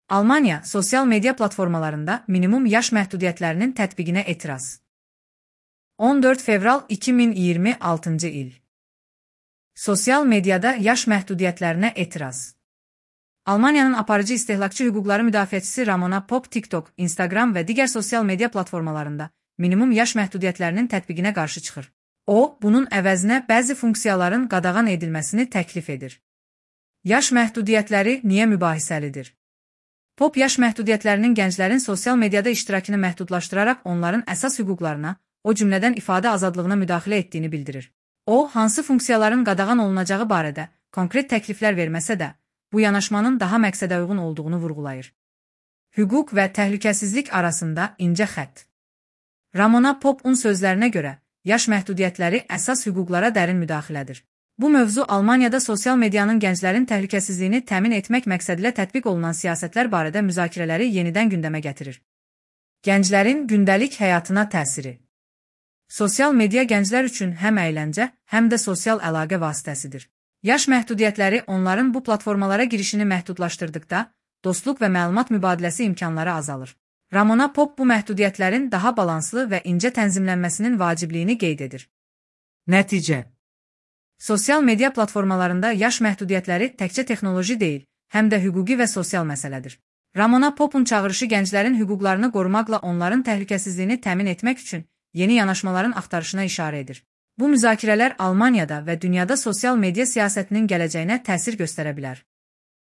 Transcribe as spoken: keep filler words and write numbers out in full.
Almanya sosial media platformalarında minimum yaş məhdudiyyətlərinin tətbiqinə etiraz. on dörd fevral iki min iyirmi altıncı il. Sosial mediada yaş məhdudiyyətlərinə etiraz. Almaniyanın aparıcı istehlakçı hüquqları müdafiəçisi Ramona Popp TikTok, Instagram və digər sosial media platformalarında minimum yaş məhdudiyyətlərinin tətbiqinə qarşı çıxır. O, bunun əvəzinə bəzi funksiyaların qadağan edilməsini təklif edir. Yaş məhdudiyyətləri niyə mübahisəlidir? Popp yaş məhdudiyyətlərinin gənclərin sosial mediada iştirakını məhdudlaşdıraraq onların əsas hüquqlarına, o cümlədən ifadə azadlığına müdaxilə etdiyini bildirir. O, hansı funksiyaların qadağan olunacağı barədə konkret təkliflər verməsə də, bu yanaşmanın daha məqsədə uyğun olduğunu vurğulayır. Hüquq və təhlükəsizlik arasında incə xətt. Ramona Popp'un sözlərinə görə, yaş məhdudiyyətləri əsas hüquqlara dərin müdaxilədir. Bu mövzu Almaniyada sosial medianın gənclərin təhlükəsizliyini təmin etmək məqsədilə tətbiq olunan siyasətlər barədə müzakirələri yenidən gündəmə gətirir. Gənclərin gündəlik həyatına təsiri. Sosial media gənclər üçün həm əyləncə, həm də sosial əlaqə vasitəsidir. Yaş məhdudiyyətləri onların bu platformalara girişini məhdudlaşdırdıqda, dostluq və məlumat mübadiləsi imkanları azalır. Ramona Popp bu məhdudiyyətlərin daha balanslı və incə tənzimlənməsinin vacibliyini qeyd edir. Nəticə. Sosial media platformalarında yaş məhdudiyyətləri təkcə texnoloji deyil, həm də hüquqi və sosial məsələdir. Ramona Popp'un çağırışı gənclərin hüquqlarını qorumaqla onların təhlükəsizliyini təmin etmək üçün yeni yanaşmaların axtarışına işarə edir. Bu müzakirələr Almaniyada və dünyada sosial media siyasətinin gələcəyinə təsir göstərə bilər.